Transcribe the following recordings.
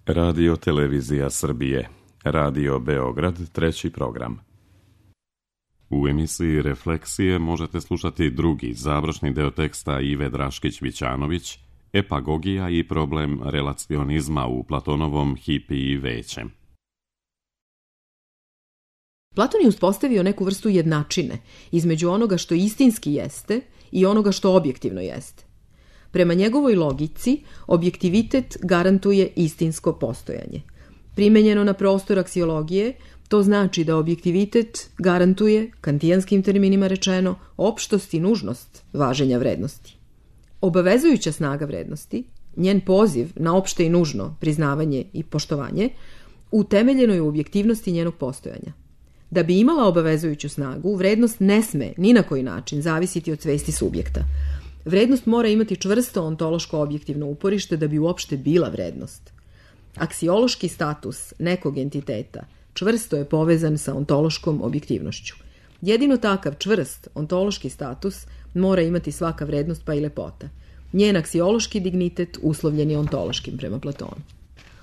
Radio Televizija Srbije, Radio Beograd, treći program. U emisiji Refleksije možete slušati drugi, završni deo teksta Ive Draškić-Vićanović, Epagogija i problem relacionizma u Platonovom Hipiji većem. Platon je uspostavio neku vrstu jednačine između onoga što istinski jeste i onoga što objektivno jeste. Prema njegovoj logici, objektivitet garantuje istinsko postojanje. Primenjeno na prostor aksiologije, to znači da objektivitet garantuje, kantijanskim terminima rečeno, opštost i nužnost važenja vrednosti. Obavezujuća snaga vrednosti, njen poziv na opšte i nužno priznavanje i poštovanje, utemeljeno je u objektivnosti njenog postojanja. Da bi imala obavezujuću snagu, vrednost ne sme ni na koji način zavisiti od svesti subjekta. Vrednost mora imati čvrsto ontološko objektivno uporište da bi uopšte bila vrednost. Aksiološki status nekog entiteta čvrsto je povezan sa ontološkom objektivnošću. Jedino takav čvrst ontološki status mora imati svaka vrednost pa i lepota. Njen aksiološki dignitet uslovljen je ontološkim prema Platonu.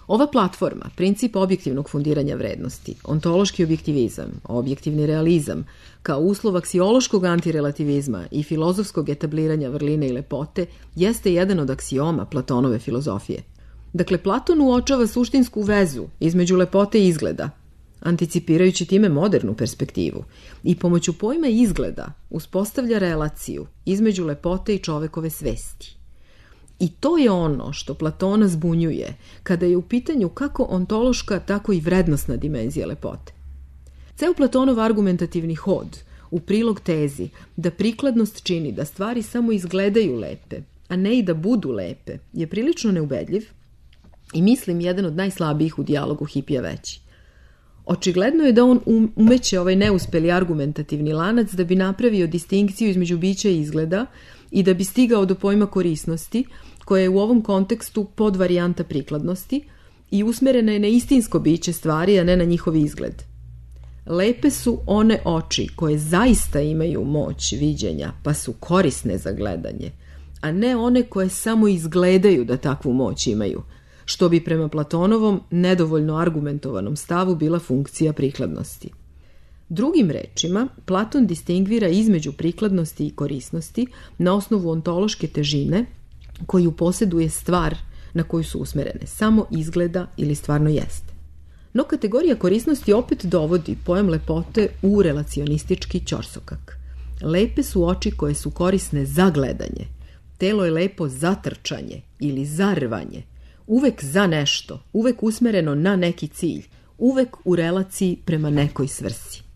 Ova platforma, princip objektivnog fundiranja vrednosti, ontološki objektivizam, objektivni realizam, kao uslov aksiološkog antirelativizma i filozofskog etabliranja vrline i lepote, jeste jedan od aksioma Platonove filozofije. Dakle, Platon uočava suštinsku vezu između lepote i izgleda, anticipirajući time modernu perspektivu, i pomoću pojma izgleda uspostavlja relaciju između lepote i čovekove svesti. I to je ono što Platona zbunjuje kada je u pitanju kako ontološka, tako i vrednosna dimenzija lepote. Ceo Platonov argumentativni hod u prilog tezi da prikladnost čini da stvari samo izgledaju lepe, a ne i da budu lepe, je prilično neubedljiv i mislim jedan od najslabijih u dijalogu Hipija veći. Očigledno je da on umeće ovaj neuspeli argumentativni lanac da bi napravio distinkciju između bića i izgleda i da bi stigao do pojma korisnosti, koja je u ovom kontekstu podvarijanta prikladnosti i usmerena je na istinsko biće stvari, a ne na njihov izgled. Lepe su one oči koje zaista imaju moć viđenja, pa su korisne za gledanje, a ne one koje samo izgledaju da takvu moć imaju, što bi prema Platonovom nedovoljno argumentovanom stavu bila funkcija prikladnosti. Drugim rečima, Platon distingvira između prikladnosti i korisnosti na osnovu ontološke težine koju posjeduje stvar na koju su usmerene, samo izgleda ili stvarno jeste. No kategorija korisnosti opet dovodi pojam lepote u relacionistički ćorsokak. Lepe su oči koje su korisne za gledanje, telo je lepo za trčanje ili za rvanje, uvek za nešto, uvek usmereno na neki cilj, uvek u relaciji prema nekoj svrsi.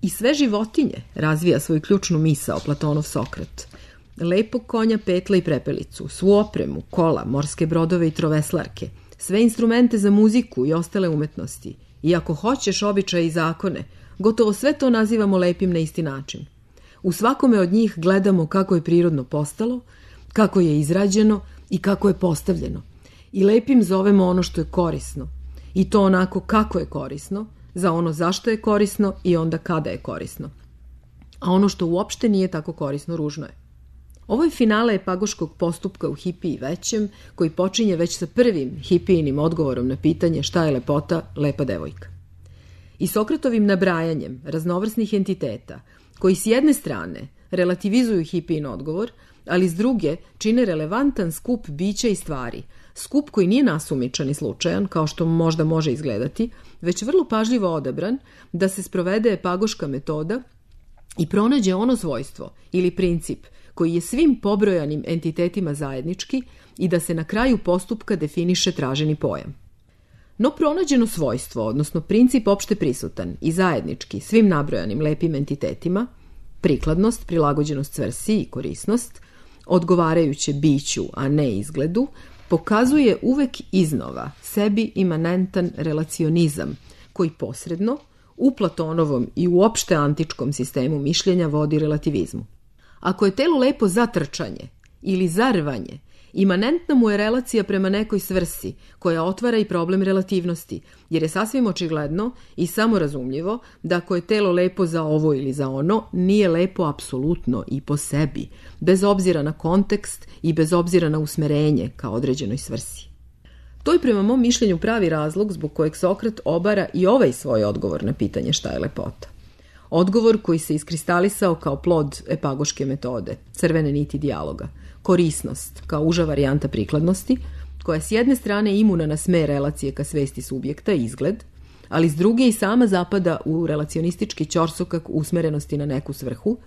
I sve životinje razvija svoju ključnu misao Platonov Sokrat. Lepog konja, petla i prepelicu, svu opremu, kola, morske brodove i troveslarke, sve instrumente za muziku i ostale umetnosti. I ako hoćeš običaje i zakone, gotovo sve to nazivamo lepim na isti način. U svakome od njih gledamo kako je prirodno postalo, kako je izrađeno i kako je postavljeno. I lepim zovemo ono što je korisno. I to onako kako je korisno, za ono zašto je korisno i onda kada je korisno. A ono što uopšte nije tako korisno, ružno je. Ovo je finale epagoškog postupka u Hipiji većem, koji počinje već sa prvim Hipijinim odgovorom na pitanje šta je lepota, lepa devojka. I Sokratovim nabrajanjem raznovrsnih entiteta, koji s jedne strane relativizuju Hipijin odgovor, ali s druge čine relevantan skup bića i stvari, skup koji nije nasumičan i slučajan, kao što možda može izgledati, već vrlo pažljivo odabran da se sprovede epagoška metoda i pronađe ono svojstvo ili princip koji je svim pobrojanim entitetima zajednički i da se na kraju postupka definiše traženi pojam. No pronađeno svojstvo, odnosno princip opšte prisutan i zajednički svim nabrojanim lepim entitetima, prikladnost, prilagođenost svrsi i korisnost, odgovarajuće biću, a ne izgledu, pokazuje uvek iznova sebi imanentan relacionizam koji posredno u Platonovom i uopšte antičkom sistemu mišljenja vodi relativizmu. Ako je telo lepo za trčanje ili za rvanje, imanentna mu je relacija prema nekoj svrsi koja otvara i problem relativnosti, jer je sasvim očigledno i samorazumljivo da ako je telo lepo za ovo ili za ono, nije lepo apsolutno i po sebi, bez obzira na kontekst i bez obzira na usmerenje ka određenoj svrsi. To je prema mom mišljenju pravi razlog zbog kojeg Sokrat obara i ovaj svoj odgovor na pitanje šta je lepota. Odgovor koji se iskristalisao kao plod epagoške metode, crvene niti dijaloga, korisnost kao uža varijanta prikladnosti, koja s jedne strane imuna na sme relacije ka svesti subjekta i izgled, ali s druge i sama zapada u relacionistički ćorsokak usmerenosti na neku svrhu,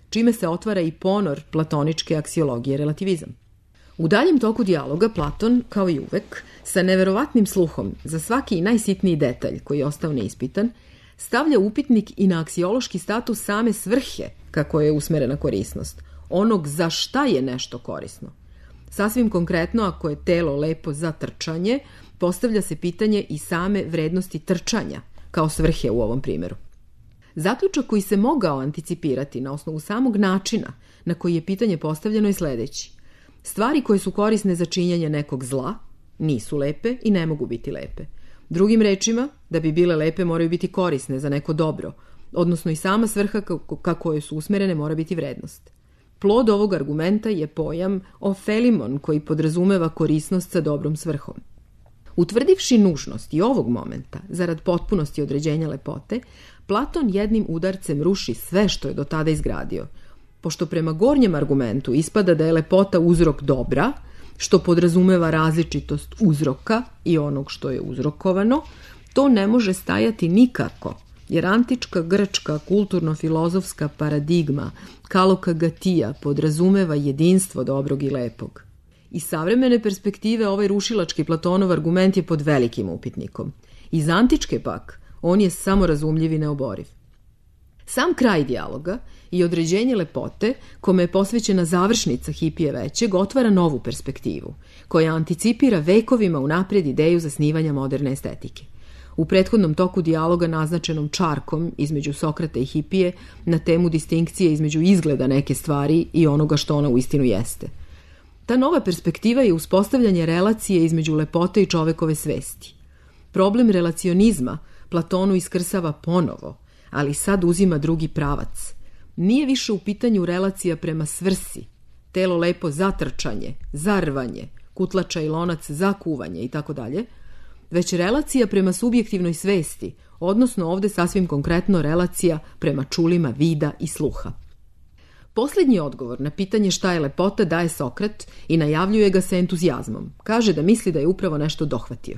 čime se otvara i ponor platoničke aksiologije relativizam. U daljem toku dijaloga Platon, kao i uvek, sa neverovatnim sluhom za svaki i najsitniji detalj koji je ostao neispitan, stavlja upitnik i na aksiološki status same svrhe kako je usmerena korisnost, onog za šta je nešto korisno. Sasvim konkretno, ako je telo lepo za trčanje, postavlja se pitanje i same vrednosti trčanja, kao svrhe u ovom primjeru. Zaključak koji se mogao anticipirati na osnovu samog načina na koji je pitanje postavljeno je sledeći. Stvari koje su korisne za činjenje nekog zla nisu lepe i ne mogu biti lepe. Drugim rečima, da bi bile lepe moraju biti korisne za neko dobro, odnosno i sama svrha ka kojoj su usmerene mora biti vrednost. Plod ovog argumenta je pojam ofelimon koji podrazumeva korisnost sa dobrom svrhom. Utvrdivši nužnost i ovog momenta, zarad potpunosti određenja lepote, Platon jednim udarcem ruši sve što je do tada izgradio. Pošto prema gornjem argumentu ispada da je lepota uzrok dobra, što podrazumeva različitost uzroka i onog što je uzrokovano, to ne može stajati nikako, jer antička grčka kulturno-filozofska paradigma kalokagatija podrazumeva jedinstvo dobrog i lepog. Iz savremene perspektive ovaj rušilački Platonov argument je pod velikim upitnikom. Iz antičke pak, on je samorazumljiv i neoboriv. Sam kraj dijaloga i određenje lepote, kome je posvećena završnica Hipije većeg, otvara novu perspektivu, koja anticipira vekovima unaprijed ideju zasnivanja moderne estetike. U prethodnom toku dijaloga naznačenom čarkom između Sokrata i Hipije na temu distinkcije između izgleda neke stvari i onoga što ona uistinu jeste. Ta nova perspektiva je uspostavljanje relacije između lepote i čovekove svesti. Problem relacionizma Platonu iskrsava ponovo, ali sad uzima drugi pravac. Nije više u pitanju relacija prema svrsi, telo lepo za trčanje, za rvanje, kutlača i lonac za kuvanje itd., već relacija prema subjektivnoj svesti, odnosno ovde sasvim konkretno relacija prema čulima vida i sluha. Posljednji odgovor na pitanje šta je lepota daje Sokrat i najavljuje ga sa entuzijazmom. Kaže da misli da je upravo nešto dohvatio.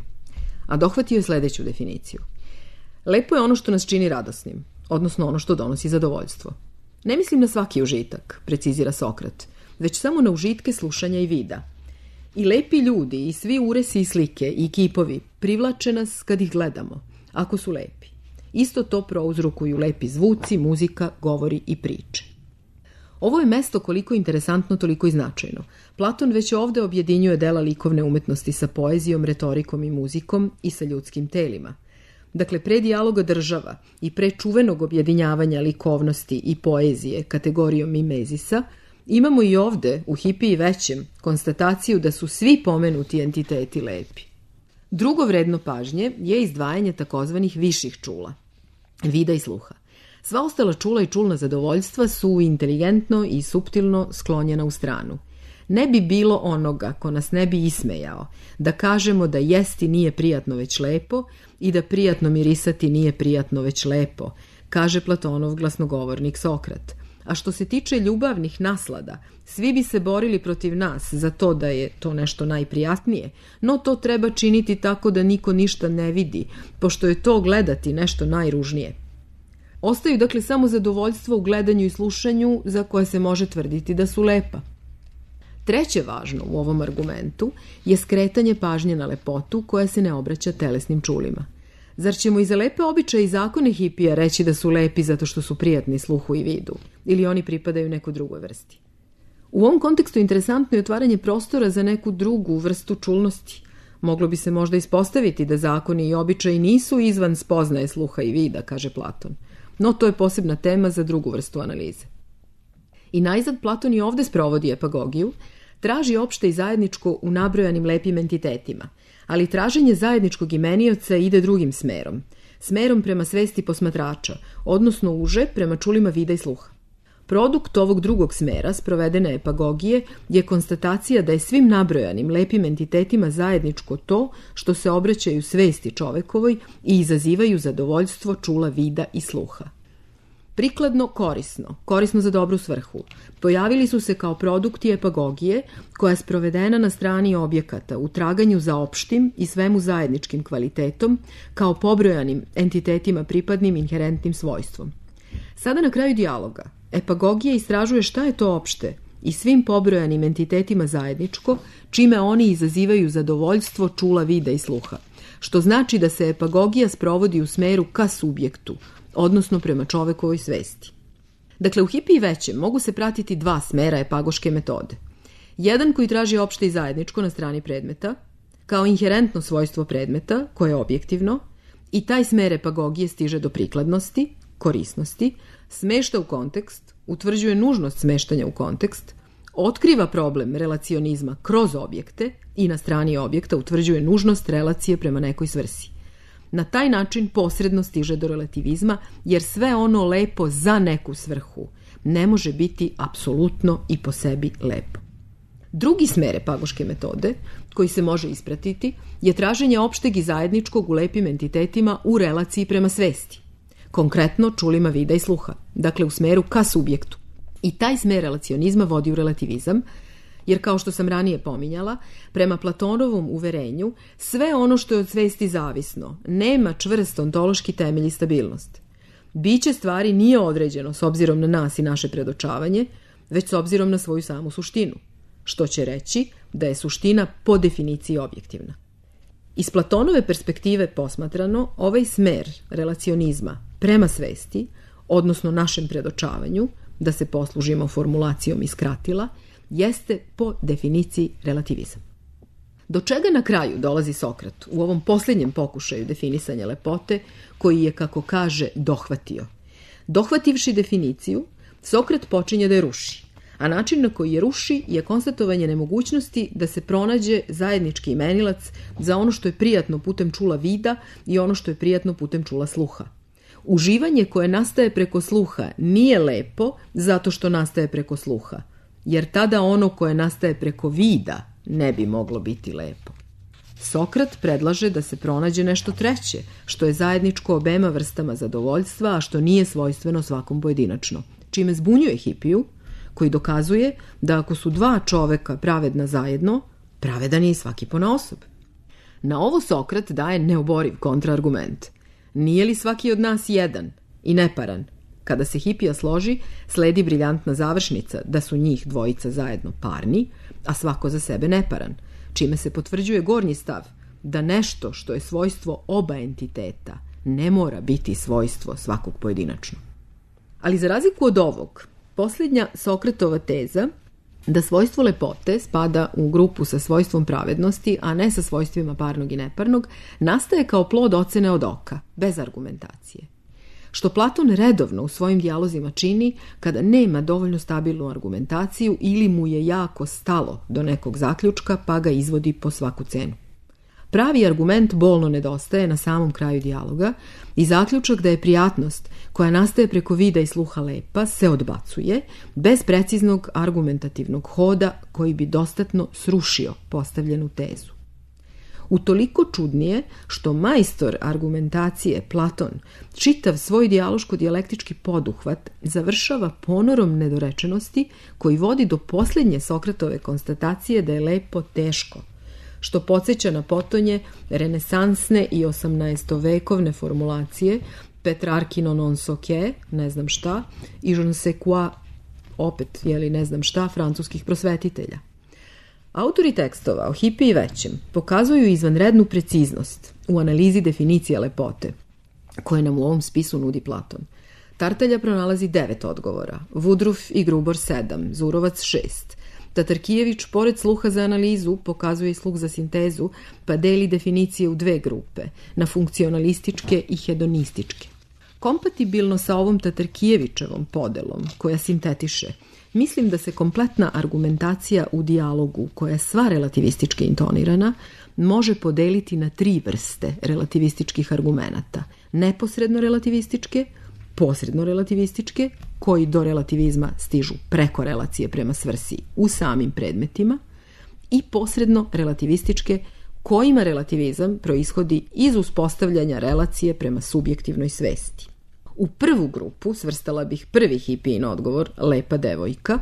A dohvatio je sledeću definiciju. Lepo je ono što nas čini radosnim, odnosno ono što donosi zadovoljstvo. Ne mislim na svaki užitak, precizira Sokrat, već samo na užitke slušanja i vida. I lepi ljudi i svi uresi i slike i kipovi privlače nas kad ih gledamo, ako su lepi. Isto to prouzrokuju lepi zvuci, muzika, govori i priče. Ovo je mesto koliko interesantno, toliko i značajno. Platon već ovde objedinjuje dela likovne umetnosti sa poezijom, retorikom i muzikom i sa ljudskim telima. Dakle, pre dijaloga država i pre čuvenog objedinjavanja likovnosti i poezije kategorijom mimezisa, imamo i ovde, u Hipiji većem, konstataciju da su svi pomenuti entiteti lepi. Drugo vredno pažnje je izdvajanje takozvanih viših čula, vida i sluha. Sva ostala čula i čulna zadovoljstva su inteligentno i suptilno sklonjena u stranu. Ne bi bilo onoga ko nas ne bi ismejao, da kažemo da jesti nije prijatno već lepo i da prijatno mirisati nije prijatno već lepo, kaže Platonov glasnogovornik Sokrat. A što se tiče ljubavnih naslada, svi bi se borili protiv nas za to da je to nešto najprijatnije, no to treba činiti tako da niko ništa ne vidi, pošto je to gledati nešto najružnije. Ostaju dakle samo zadovoljstvo u gledanju i slušanju za koje se može tvrditi da su lepa. Treće važno u ovom argumentu je skretanje pažnje na lepotu koja se ne obraća telesnim čulima. Zar ćemo i za lepe običaje i zakone Hipija reći da su lepi zato što su prijatni sluhu i vidu, ili oni pripadaju nekoj drugoj vrsti? U ovom kontekstu interesantno je otvaranje prostora za neku drugu vrstu čulnosti. Moglo bi se možda ispostaviti da zakoni i običaji nisu izvan spoznaje sluha i vida, kaže Platon. No to je posebna tema za drugu vrstu analize. I najzad Platon i ovde sprovodi epagogiju, traži opšte i zajedničko u nabrojanim lepim entitetima, ali traženje zajedničkog imenioca ide drugim smerom prema svesti posmatrača, odnosno uže prema čulima vida i sluha. Produkt ovog drugog smera, sprovedene epagogije, je konstatacija da je svim nabrojanim lepim entitetima zajedničko to što se obraćaju svesti čovekovoj i izazivaju zadovoljstvo čula, vida i sluha. Prikladno korisno za dobru svrhu, pojavili su se kao produkti epagogije koja je sprovedena na strani objekata u traganju za opštim i svemu zajedničkim kvalitetom kao pobrojanim entitetima pripadnim inherentnim svojstvom. Sada na kraju dijaloga epagogija istražuje šta je to opšte i svim pobrojanim entitetima zajedničko, čime oni izazivaju zadovoljstvo čula, vida i sluha, što znači da se epagogija sprovodi u smeru ka subjektu, odnosno prema čovekovoj svesti. Dakle, u Hipi i većem mogu se pratiti dva smera epagoške metode. Jedan koji traži opšte i zajedničko na strani predmeta, kao inherentno svojstvo predmeta, koje je objektivno, i taj smer epagogije stiže do prikladnosti, korisnosti, smešta u kontekst, utvrđuje nužnost smeštanja u kontekst, otkriva problem relacionizma kroz objekte i na strani objekta utvrđuje nužnost relacije prema nekoj svrsi. Na taj način posredno stiže do relativizma, jer sve ono lepo za neku svrhu ne može biti apsolutno i po sebi lepo. Drugi smer epagoške metode, koji se može ispratiti, je traženje opšteg i zajedničkog u lepim entitetima u relaciji prema svesti. Konkretno čulima vida i sluha, dakle u smeru ka subjektu. I taj smer relacionizma vodi u relativizam, jer kao što sam ranije pominjala, prema Platonovom uverenju, sve ono što je od svesti zavisno nema čvrst ontološki temelj i stabilnost. Biće stvari nije određeno s obzirom na nas i naše predočavanje, već s obzirom na svoju samu suštinu, što će reći da je suština po definiciji objektivna. Iz Platonove perspektive posmatrano, ovaj smer relacionizma prema svesti, odnosno našem predočavanju, da se poslužimo formulacijom iz Kratila, jeste po definiciji relativizam. Do čega na kraju dolazi Sokrat u ovom posljednjem pokušaju definisanja lepote, koji je, kako kaže, dohvatio? Dohvativši definiciju, Sokrat počinje da je ruši, a način na koji je ruši je konstatovanje nemogućnosti da se pronađe zajednički imenilac za ono što je prijatno putem čula vida i ono što je prijatno putem čula sluha. Uživanje koje nastaje preko sluha nije lepo zato što nastaje preko sluha, jer tada ono koje nastaje preko vida ne bi moglo biti lepo. Sokrat predlaže da se pronađe nešto treće, što je zajedničko obema vrstama zadovoljstva, a što nije svojstveno svakom pojedinačno, čime zbunjuje Hipiju, koji dokazuje da ako su dva čoveka pravedna zajedno, pravedan je i svaki ponaosob. Na ovo Sokrat daje neoboriv kontraargument. Nije li svaki od nas jedan i neparan? Kada se Hipija složi, sledi briljantna završnica da su njih dvojica zajedno parni, a svako za sebe neparan, čime se potvrđuje gornji stav da nešto što je svojstvo oba entiteta ne mora biti svojstvo svakog pojedinačno. Ali za razliku od ovog, posljednja Sokratova teza da svojstvo lepote spada u grupu sa svojstvom pravednosti, a ne sa svojstvima parnog i neparnog, nastaje kao plod ocene od oka, bez argumentacije. Što Platon redovno u svojim dijalozima čini kada nema dovoljno stabilnu argumentaciju ili mu je jako stalo do nekog zaključka pa ga izvodi po svaku cenu. Pravi argument bolno nedostaje na samom kraju dijaloga i zaključak da je prijatnost koja nastaje preko vida i sluha lepa se odbacuje bez preciznog argumentativnog hoda koji bi dostatno srušio postavljenu tezu. Utoliko čudnije što majstor argumentacije Platon čitav svoj dijaloško-dijalektički poduhvat završava ponorom nedorečenosti koji vodi do posljednje Sokratove konstatacije da je lepo teško, što podsjeća na potonje renesansne i 18-vekovne formulacije Petrarchino non so che, ne znam šta, i je ne sais quoi, opet, ne znam šta, francuskih prosvetitelja. Autori tekstova o Hipiji i većem pokazuju izvanrednu preciznost u analizi definicije lepote, koje nam u ovom spisu nudi Platon. Tartalja pronalazi 9 odgovora, Woodruff i Grubor 7, Zurovac 6. Tatarkijević, pored sluha za analizu, pokazuje i sluh za sintezu, pa deli definicije u dve grupe, na funkcionalističke i hedonističke. Kompatibilno sa ovom Tatarkijevićevom podelom, koja sintetiše, mislim da se kompletna argumentacija u dijalogu, koja je sva relativistički intonirana, može podeliti na 3 vrste relativističkih argumenata. Neposredno relativističke, posredno relativističke koji do relativizma stižu preko relacije prema svrsi u samim predmetima, i posredno relativističke, kojima relativizam proishodi iz uspostavljanja relacije prema subjektivnoj svesti. U prvu grupu svrstala bih prvi Hippijin odgovor, lepa devojka,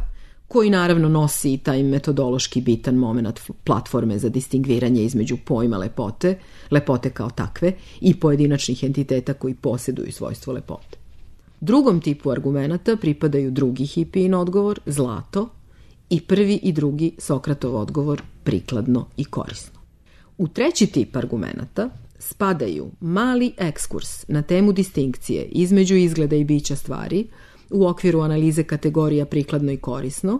koji naravno nosi taj metodološki bitan moment platforme za distingviranje između pojma lepote, lepote kao takve, i pojedinačnih entiteta koji posjeduju svojstvo lepote. Drugom tipu argumenata pripadaju drugi Hippijin odgovor, zlato, i prvi i drugi Sokratov odgovor, prikladno i korisno. U treći tip argumenata spadaju mali ekskurs na temu distinkcije između izgleda i bića stvari u okviru analize kategorija prikladno i korisno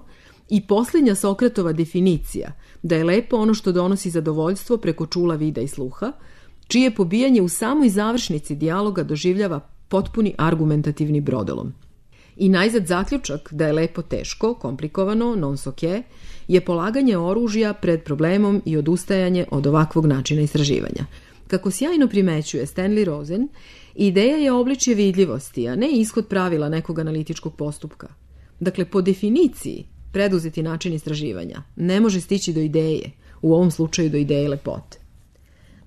i posljednja Sokratova definicija da je lepo ono što donosi zadovoljstvo preko čula, vida i sluha, čije pobijanje u samoj završnici dijaloga doživljava potpuni argumentativni brodolom. I najzad zaključak da je lepo teško, komplikovano, non so che, je polaganje oružja pred problemom i odustajanje od ovakvog načina istraživanja. Kako sjajno primećuje Stanley Rosen, ideja je obličje vidljivosti, a ne ishod pravila nekog analitičkog postupka. Dakle, po definiciji, preduzeti način istraživanja ne može stići do ideje, u ovom slučaju do ideje lepote.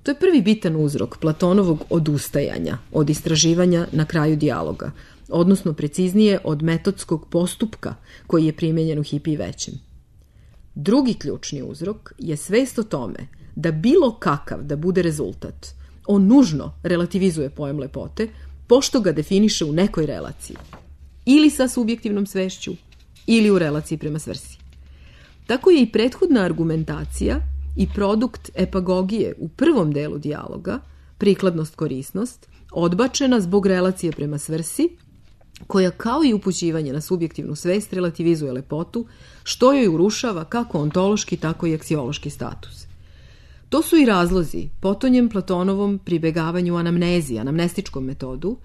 To je prvi bitan uzrok Platonovog odustajanja od istraživanja na kraju dijaloga, odnosno preciznije od metodskog postupka koji je primijenjen u Hippiji većem. Drugi ključni uzrok je svest o tome da bilo kakav da bude rezultat, on nužno relativizuje pojam lepote, pošto ga definiše u nekoj relaciji, ili sa subjektivnom svešću, ili u relaciji prema svrsi. Tako je i prethodna argumentacija i produkt epagogije u prvom delu dijaloga, prikladnost, korisnost, odbačena zbog relacije prema svrsi, koja kao i upućivanje na subjektivnu svest relativizuje lepotu, što joj urušava kako ontološki, tako i aksiološki status. To su i razlozi potonjem Platonovom pribegavanju anamnezi, anamnestičkom metodu,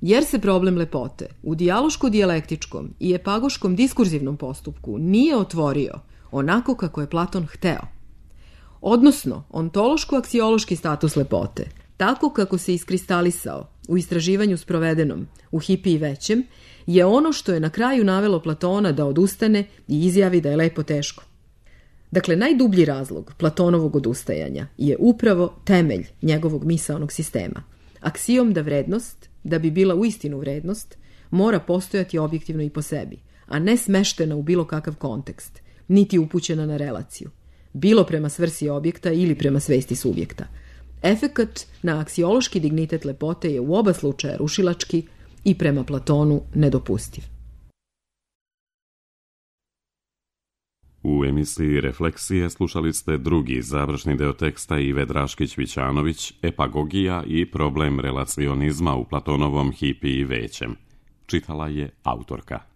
jer se problem lepote u dijaloško-dijalektičkom i epagoškom diskurzivnom postupku nije otvorio onako kako je Platon hteo. Odnosno, ontološko-aksiološki status lepote, tako kako se iskristalisao u istraživanju sprovedenom u Hippiji većem, je ono što je na kraju navelo Platona da odustane i izjavi da je lepo teško. Dakle, najdublji razlog Platonovog odustajanja je upravo temelj njegovog misaonog sistema. Aksijom da vrednost, da bi bila uistinu vrednost, mora postojati objektivno i po sebi, a ne smeštena u bilo kakav kontekst, niti upućena na relaciju, bilo prema svrsi objekta ili prema svesti subjekta. Efekat na aksiološki dignitet lepote je u oba slučaja rušilački i prema Platonu nedopustiv. U emisiji Refleksije slušali ste drugi završni deo teksta Ive Draškić-Vićanović, Epagogija i problem relacionizma u Platonovom Hippiji većem. Čitala je autorka.